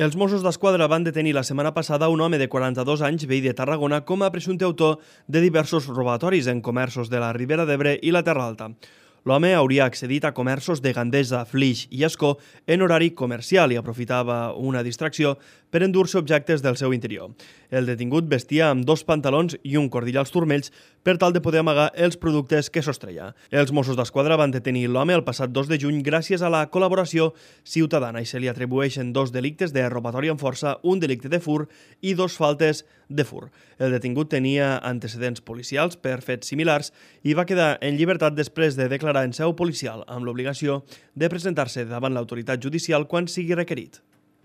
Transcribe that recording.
Els Mossos d'Esquadra van detenir la setmana passada un home de 42 anys, veí de Tarragona, com a presumpte autor de diversos robatoris en comerços de la Ribera d'Ebre i la Terra Alta. L'home hauria accedit a comerços de Gandesa, Flix i Ascó en horari comercial i aprofitava una distracció per endur-se objectes del seu interior. El detingut vestia amb 2 pantalons i un cordill als turmells per tal de poder amagar els productes que sostreia. Els Mossos d'Esquadra van detenir l'home el passat 2 de juny gràcies a la col·laboració ciutadana i se li atribueixen 2 delictes de robatori amb força, un delicte de fur i 2 faltes de fur. El detingut tenia antecedents policials per fets similars i va quedar en llibertat després de declarar en seu policial amb l'obligació de presentar-se davant l'autoritat judicial quan sigui requerit.